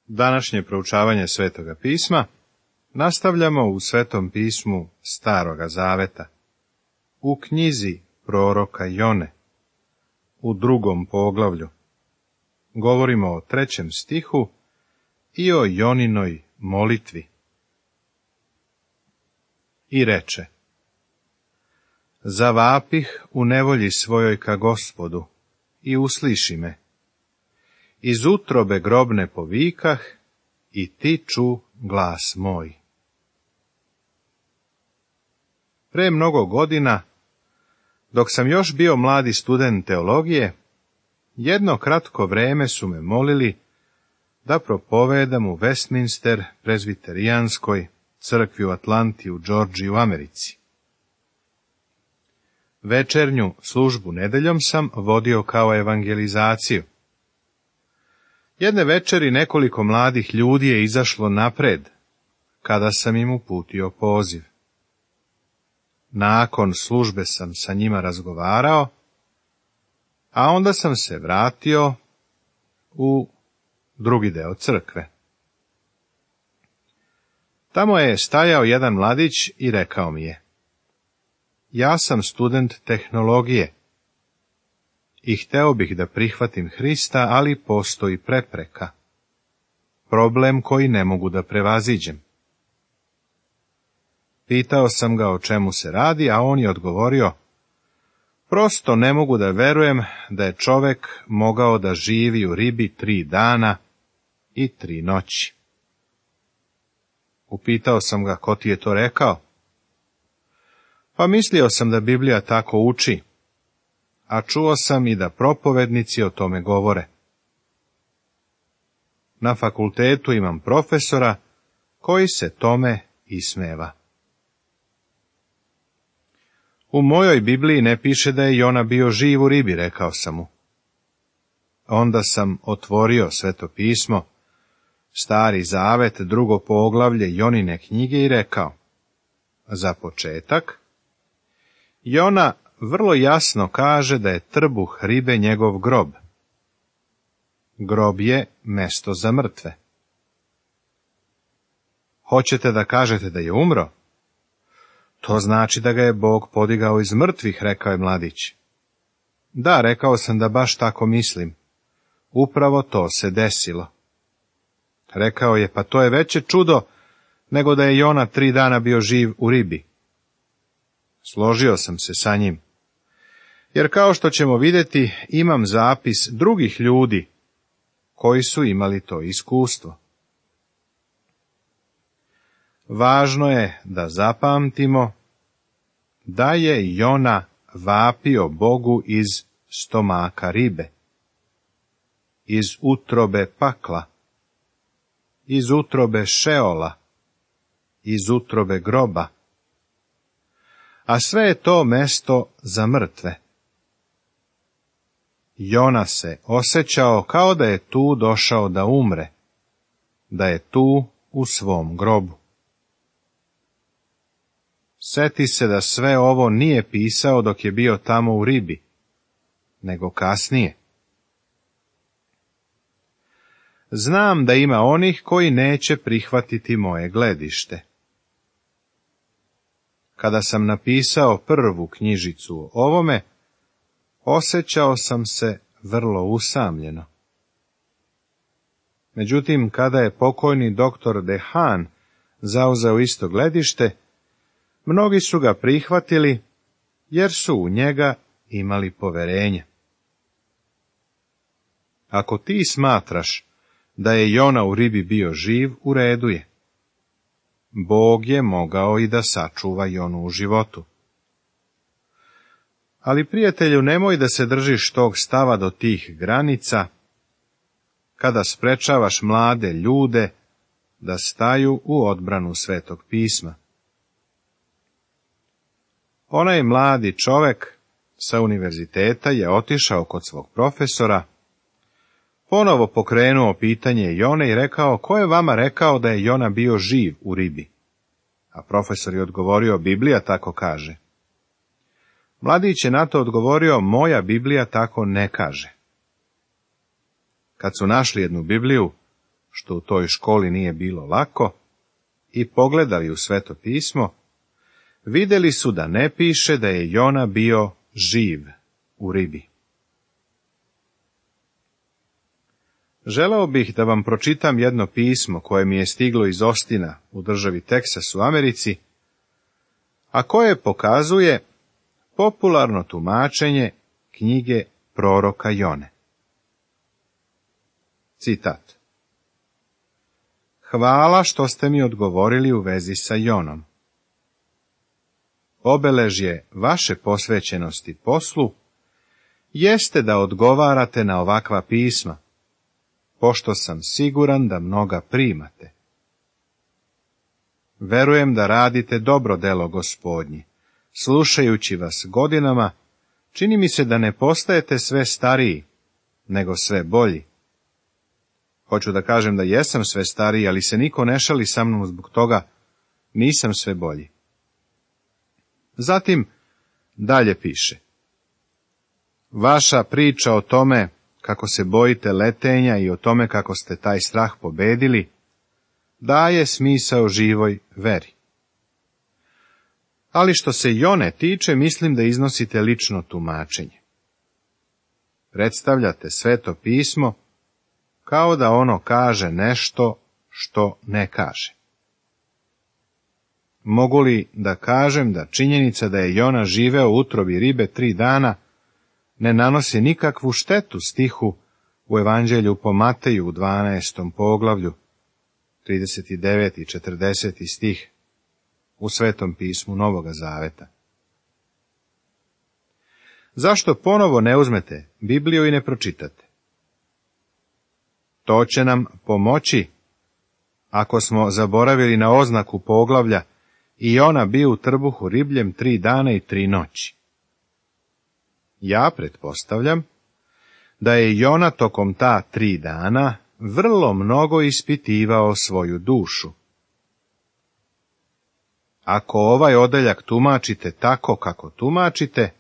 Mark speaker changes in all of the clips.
Speaker 1: Današnje proučavanje Svetoga pisma nastavljamo u Svetom pismu Staroga Zaveta, u knjizi proroka Jone, u 2. poglavlju. Govorimo o 3. stihu i o Joninoj molitvi. I reče: Zavapih u nevolji svojoj ka Gospodu i usliši me. Iz utrobe grobne povikah i ti ču glas moj. Pre mnogo godina, dok sam još bio mladi student teologije, jedno kratko vreme su me molili da propovedam u Westminster prezbiterijanskoj crkvi u Atlanti u Džordžiji u Americi. Večernju službu nedeljom sam vodio kao evangelizaciju. Jedne večeri nekoliko mladih ljudi je izašlo napred, kada sam im uputio poziv. Nakon službe sam sa njima razgovarao, a onda sam se vratio u drugi deo crkve. Tamo je stajao jedan mladić i rekao mi je: Ja sam student tehnologije i hteo bih da prihvatim Hrista, ali postoji prepreka, problem koji ne mogu da prevaziđem. Pitao sam ga o čemu se radi, a on je odgovorio: Prosto ne mogu da verujem da je čovek mogao da živi u ribi 3 dana i 3 noći. Upitao sam ga: Ko ti je to rekao? Pa mislio sam da Biblija tako uči, a čuo sam i da propovednici o tome govore. Na fakultetu imam profesora koji se tome ismeva. U mojoj Bibliji ne piše da je Jona bio živ u ribi, rekao sam mu. Onda sam otvorio Sveto pismo, Stari Zavet, 2. poglavlje Jonine knjige i rekao: Za početak, Jona vrlo jasno kaže da je trbuh ribe njegov grob. Grob je mesto za mrtve. Hoćete da kažete da je umro? To znači da ga je Bog podigao iz mrtvih, rekao je mladić. Da, rekao sam da baš tako mislim. Upravo to se desilo. Rekao je: Pa to je veće čudo nego da je Jona 3 dana bio živ u ribi. Složio sam se sa njim, jer kao što ćemo vidjeti, imam zapis drugih ljudi koji su imali to iskustvo. Važno je da zapamtimo da je Jona vapio Bogu iz stomaka ribe, iz utrobe pakla, iz utrobe Šeola, iz utrobe groba, a sve je to mesto za mrtve. Jona se osjećao kao da je tu došao da umre, da je tu u svom grobu. Seti se da sve ovo nije pisao dok je bio tamo u ribi, nego kasnije. Znam da ima onih koji neće prihvatiti moje gledište. Kada sam napisao prvu knjižicu o ovome, osjećao sam se vrlo usamljeno. Međutim, kada je pokojni doktor Dehan zauzeo isto gledište, mnogi su ga prihvatili jer su u njega imali poverenje. Ako ti smatraš da je Jona u ribi bio živ, u redu je. Bog je mogao i da sačuva Jonu u životu. Ali, prijatelju, nemoj da se držiš tog stava do tih granica, kada sprečavaš mlade ljude da staju u odbranu Svetog pisma. Onaj mladi čovek sa univerziteta je otišao kod svog profesora, ponovo pokrenuo pitanje Jone i rekao: Ko je vama rekao da je Jona bio živ u ribi? A profesor je odgovorio: Biblija tako kaže. Mladić je na to odgovorio: Moja Biblija tako ne kaže. Kad su našli jednu Bibliju, što u toj školi nije bilo lako, i pogledali u Sveto pismo, vidjeli su da ne piše da je Jona bio živ u ribi. Želeo bih da vam pročitam jedno pismo koje mi je stiglo iz Ostina u državi Teksas u Americi, a koje pokazuje popularno tumačenje knjige proroka Jone. Citat. Hvala što ste mi odgovorili u vezi sa Jonom. Obeležje vaše posvećenosti poslu jeste da odgovarate na ovakva pisma, pošto sam siguran da mnoga primate. Verujem da radite dobro delo Gospodnje. Slušajući vas godinama, čini mi se da ne postajete sve stariji, nego sve bolji. Hoću da kažem da jesam sve stariji, ali se niko ne šali sa mnom zbog toga, nisam sve bolji. Zatim, dalje piše. Vaša priča o tome kako se bojite letenja i o tome kako ste taj strah pobedili, daje smisao živoj veri. Ali što se Jone tiče, mislim da iznosite lično tumačenje. Predstavljate Sveto pismo kao da ono kaže nešto što ne kaže. Mogu li da kažem da činjenica da je Jona živeo u utrobi ribe 3 dana ne nanosi nikakvu štetu stihu u Evanđelju po Mateju u 12. poglavlju, 39. i 40. stih u Svetom pismu Novoga Zaveta? Zašto ponovo ne uzmete Bibliju i ne pročitate? To će nam pomoći ako smo zaboravili na oznaku poglavlja i Jona bio u trbuhu ribljem 3 dana i 3 noći. Ja pretpostavljam da je Jona tokom ta 3 dana vrlo mnogo ispitivao svoju dušu. Ako ovaj odeljak tumačite tako kako tumačite,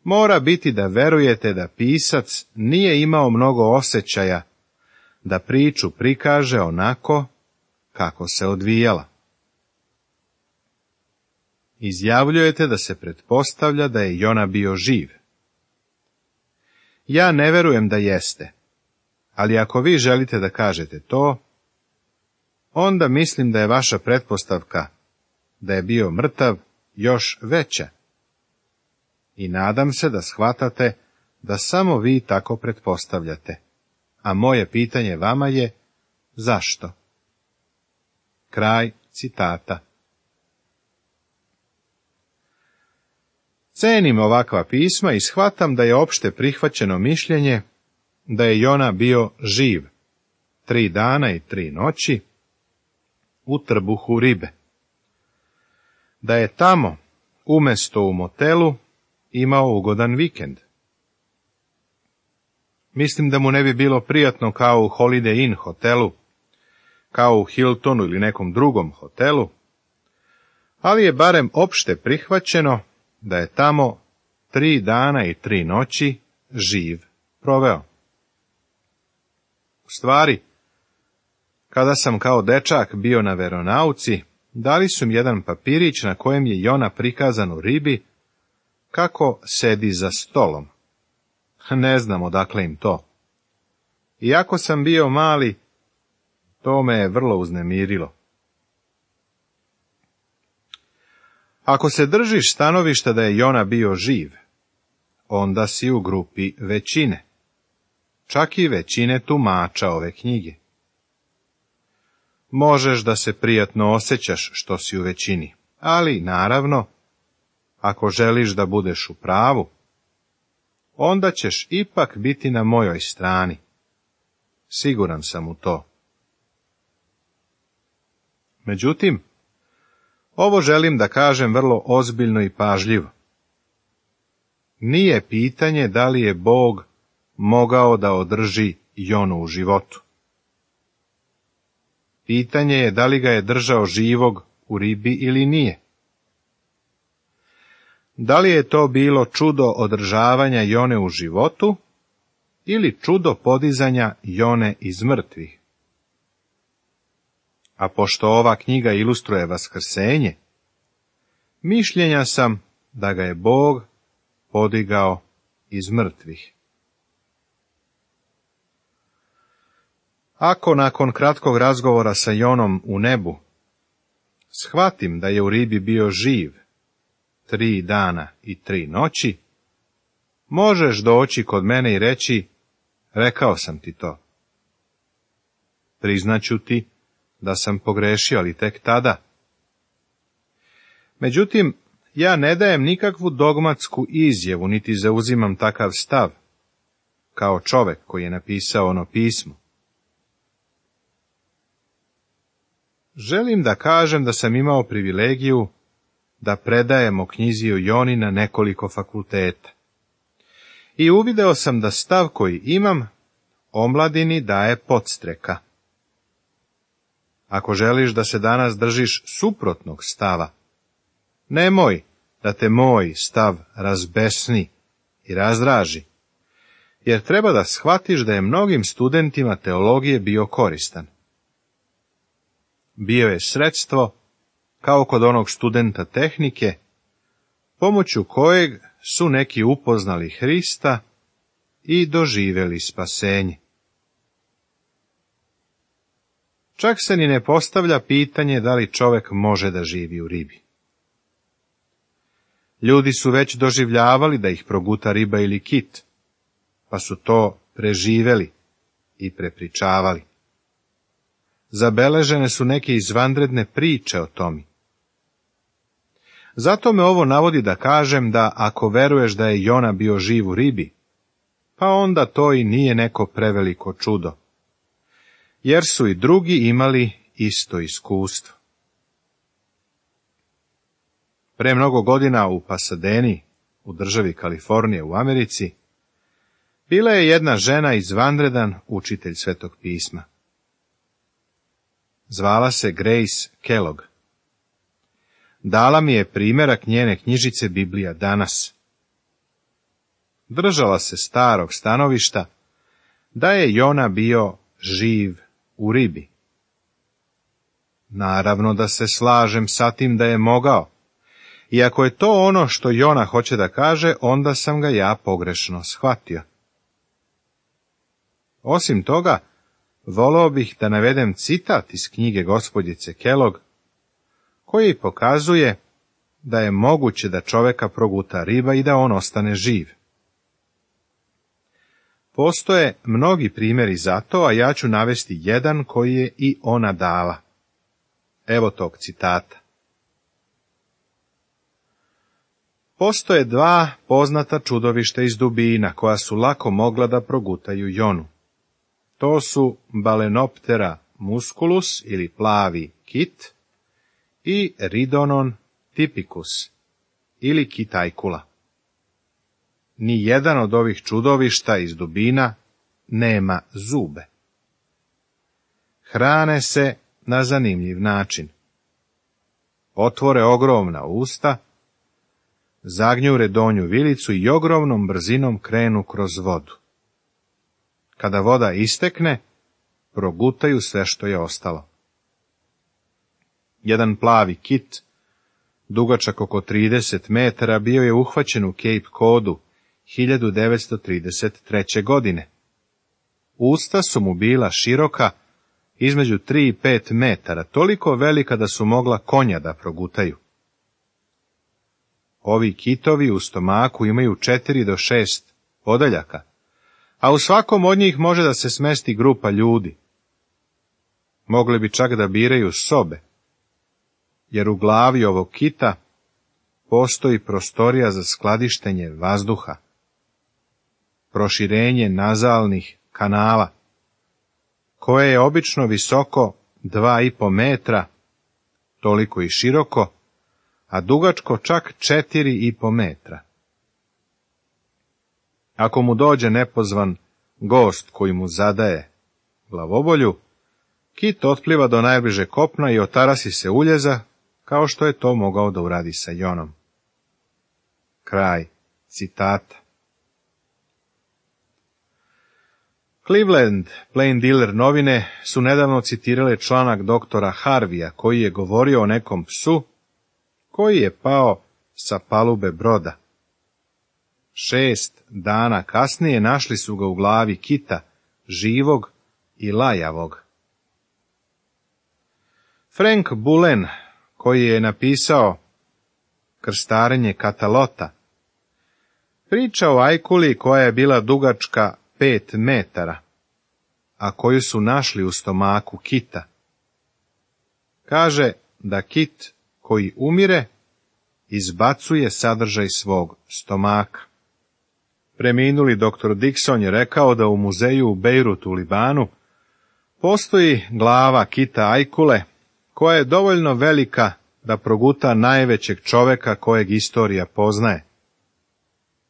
Speaker 1: mora biti da verujete da pisac nije imao mnogo osjećaja da priču prikaže onako kako se odvijala. Izjavljujete da se pretpostavlja da je Jona bio živ. Ja ne verujem da jeste, ali ako vi želite da kažete to, onda mislim da je vaša pretpostavka da je bio mrtav još veća. I nadam se da shvatate da samo vi tako pretpostavljate, a moje pitanje vama je zašto? Kraj citata. Cenim ovakva pisma i shvatam da je opšte prihvaćeno mišljenje da je Jona bio živ 3 dana i 3 noći u trbuhu ribe. Da je tamo, umesto u motelu, imao ugodan vikend. Mislim da mu ne bi bilo prijatno kao u Holiday Inn hotelu, kao u Hiltonu ili nekom drugom hotelu, ali je barem opšte prihvaćeno da je tamo 3 dana i 3 noći živ proveo. U stvari, kada sam kao dečak bio na veronauci, dali su mi jedan papirić na kojem je Jona prikazan u ribi kako sedi za stolom. Ne znam odakle im to. Iako sam bio mali, to me je vrlo uznemirilo. Ako se držiš stanovišta da je Jona bio živ, onda si u grupi većine, čak i većine tumača ove knjige. Možeš da se prijatno osjećaš što si u većini, ali, naravno, ako želiš da budeš u pravu, onda ćeš ipak biti na mojoj strani. Siguran sam u to. Međutim, ovo želim da kažem vrlo ozbiljno i pažljivo. Nije pitanje da li je Bog mogao da održi Jonu u životu. Pitanje je da li ga je držao živog u ribi ili nije. Da li je to bilo čudo održavanja Jone u životu ili čudo podizanja Jone iz mrtvih? a pošto ova knjiga ilustruje vaskrsenje, mišljenja sam da ga je Bog podigao iz mrtvih. Ako nakon kratkog razgovora sa Jonom u nebu shvatim da je u ribi bio živ 3 dana i 3 noći, možeš doći kod mene i reći, rekao sam ti to. Priznaću ti da sam pogrešio, ali tek tada. Međutim, ja ne dajem nikakvu dogmatsku izjavu, niti zauzimam takav stav, kao čovek koji je napisao ono pismo. Želim da kažem da sam imao privilegiju da predajem o knjizi o Joni na nekoliko fakulteta. I uvideo sam da stav koji imam omladini daje podstreka. Ako želiš da se danas držiš suprotnog stava, nemoj da te moj stav razbesni i razdraži, jer treba da shvatiš da je mnogim studentima teologije bio koristan. Bio je sredstvo, kao kod onog studenta tehnike, pomoću kojeg su neki upoznali Hrista i doživjeli spasenje. Čak se ni ne postavlja pitanje da li čovek može da živi u ribi. Ljudi su već doživljavali da ih proguta riba ili kit, pa su to preživeli i prepričavali. Zabeležene su neke izvanredne priče o tome. Zato me ovo navodi da kažem da ako veruješ da je Jona bio živ u ribi, pa onda to i nije neko preveliko čudo, jer su i drugi imali isto iskustvo. Pre mnogo godina u Pasadeni, u državi Kalifornije u Americi, bila je jedna žena izvanredan učitelj Svetog pisma. Zvala se Grace Kellogg. Dala mi je primjerak njene knjižice Biblija danas. Držala se starog stanovišta da je Jona bio živ u ribi. Naravno da se slažem sa tim da je mogao. I ako je to ono što Jona hoće da kaže, onda sam ga ja pogrešno shvatio. Osim toga, voleo bih da navedem citat iz knjige gospođice Kellogg, koji pokazuje da je moguće da čoveka proguta riba i da on ostane živ. Postoje mnogi primjeri za to, a ja ću navesti jedan koji je i ona dala. Evo tog citata. Postoje 2 poznata čudovišta iz dubina, koja su lako mogla da progutaju Jonu. To su Balenoptera musculus ili plavi kit i Ridonon typicus ili kitajkula. Ni jedan od ovih čudovišta iz dubina nema zube. Hrane se na zanimljiv način. Otvore ogromna usta, zagnjure donju vilicu i ogromnom brzinom krenu kroz vodu. Kada voda istekne, progutaju sve što je ostalo. Jedan plavi kit, dugačak oko 30 metara, bio je uhvaćen u Cape Codu 1933. godine. Usta su mu bila široka, između 3 i 5 metara, toliko velika da su mogla konja da progutaju. Ovi kitovi u stomaku imaju 4 do 6 odaljaka, a u svakom od njih može da se smesti grupa ljudi. Mogli bi čak da biraju sobe, jer u glavi ovog kita postoji prostorija za skladištenje vazduha, proširenje nazalnih kanala, koje je obično visoko 2,5 metra, toliko i široko, a dugačko čak 4,5 metra. Ako mu dođe nepozvan gost koji mu zadaje glavobolju, kit otpliva do najbliže kopna i otarasi se uljeza, kao što je to mogao da uradi sa Jonom. Kraj citata. Cleveland Plain Dealer novine su nedavno citirale članak doktora Harvija koji je govorio o nekom psu koji je pao sa palube broda. 6 dana kasnije našli su ga u glavi kita, živog i lajavog. Frank Bullen, koji je napisao Krstarenje Katalota, priča o ajkuli koja je bila dugačka 5 metara, a koju su našli u stomaku kita. Kaže da kit koji umire izbacuje sadržaj svog stomaka. Preminuli dr. Dixon je rekao da u muzeju u Bejrutu u Libanu postoji glava kita ajkule koja je dovoljno velika da proguta najvećeg čoveka kojeg istorija poznaje.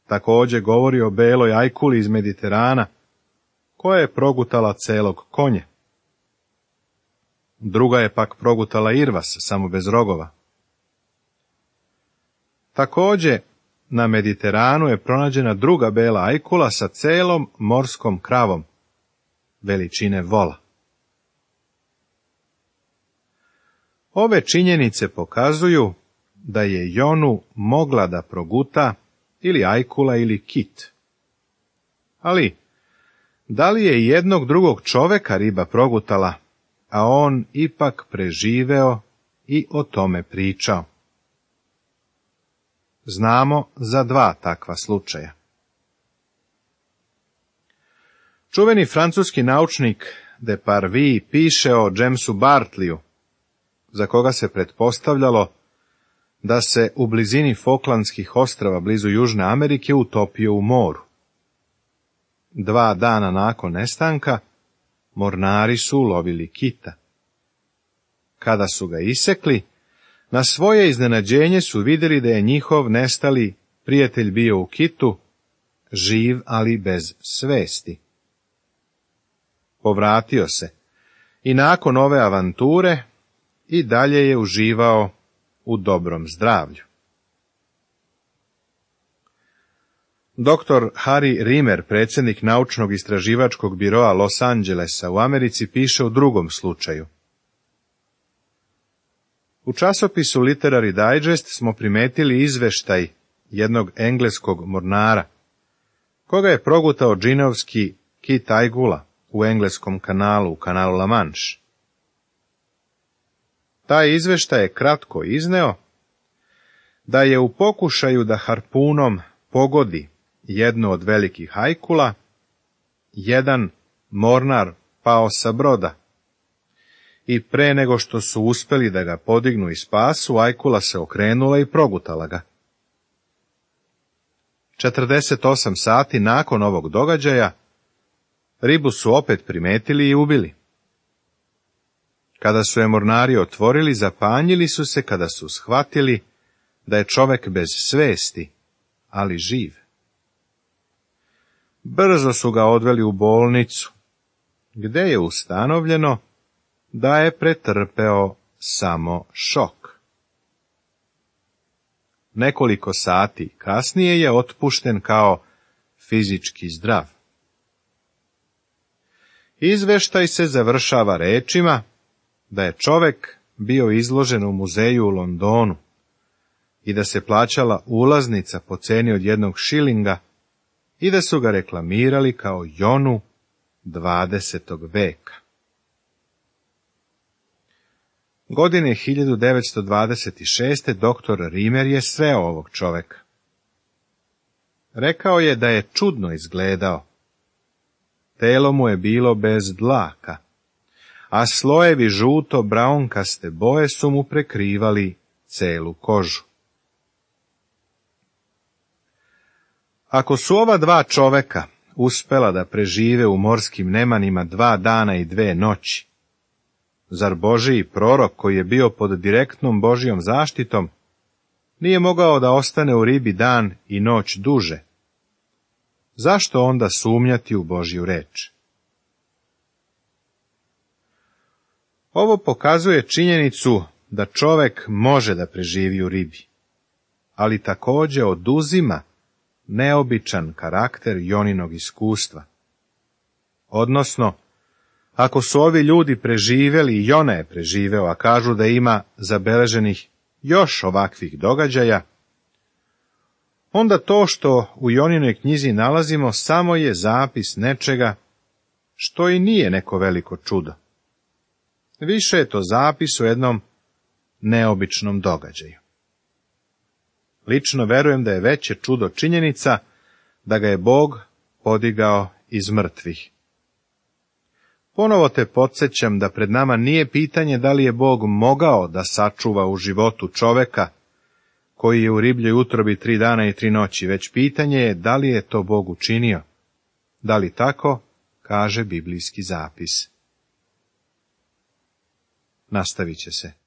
Speaker 1: Također govori o beloj ajkuli iz Mediterana, koja je progutala celog konje. Druga je pak progutala irvas, samo bez rogova. Također, na Mediteranu je pronađena druga bela ajkula sa celom morskom kravom, veličine vola. Ove činjenice pokazuju da je Jonu mogla da proguta ili ajkula ili kit. Ali, da li je jednog drugog čoveka riba progutala, a on ipak preživeo i o tome pričao? Znamo za 2 takva slučaja. Čuveni francuski naučnik de Parvis piše o Jamesu Bartleyu, za koga se pretpostavljalo da se u blizini Falklandskih ostrava blizu Južne Amerike utopio u moru. 2 dana nakon nestanka, mornari su ulovili kita. Kada su ga isekli, na svoje iznenađenje su vidjeli da je njihov nestali prijatelj bio u kitu, živ ali bez svesti. Povratio se i nakon ove avanture i dalje je uživao u dobrom zdravlju. Dr. Harry Rimmer, predsjednik naučnog istraživačkog biroa Los Angelesa u Americi, piše u drugom slučaju. U časopisu Literary Digest smo primetili izveštaj jednog engleskog mornara, koga je progutao džinovski kit ajgula u engleskom kanalu, u kanalu La Manche. Taj izveštaj je kratko izneo da je u pokušaju da harpunom pogodi jednu od velikih ajkula, jedan mornar pao sa broda i pre nego što su uspeli da ga podignu i spasu, ajkula se okrenula i progutala ga. 48 sati nakon ovog događaja ribu su opet primetili i ubili. Kada su je mornari otvorili, zapanjili su se kada su shvatili da je čovek bez svesti, ali živ. Brzo su ga odveli u bolnicu, gde je ustanovljeno da je pretrpeo samo šok. Nekoliko sati kasnije je otpušten kao fizički zdrav. Izveštaj se završava rečima da je čovek bio izložen u muzeju u Londonu i da se plaćala ulaznica po ceni od 1 šilinga i da su ga reklamirali kao Jonu 20. veka. Godine 1926. dr. Rimmer je sreo ovog čoveka. Rekao je da je čudno izgledao. Telo mu je bilo bez dlaka, a slojevi žuto-braunkaste boje su mu prekrivali celu kožu. Ako su ova 2 čoveka uspela da prežive u morskim nemanima 2 dana i 2 noći, zar Božiji prorok, koji je bio pod direktnom Božijom zaštitom, nije mogao da ostane u ribi dan i noć duže? Zašto onda sumnjati u Božju reč? Ovo pokazuje činjenicu da čovek može da preživi u ribi, ali također oduzima neobičan karakter Joninog iskustva. Odnosno, ako su ovi ljudi preživeli i Jona je preživeo, a kažu da ima zabeleženih još ovakvih događaja, onda to što u Joninoj knjizi nalazimo samo je zapis nečega što i nije neko veliko čudo. Više je to zapis o jednom neobičnom događaju. Lično verujem da je veće čudo činjenica da ga je Bog podigao iz mrtvih. Ponovo te podsjećam da pred nama nije pitanje da li je Bog mogao da sačuva u životu čoveka koji je u ribljoj utrobi 3 dana i 3 noći, već pitanje je da li je to Bog učinio. Da li tako, kaže biblijski zapis. Nastavit će se.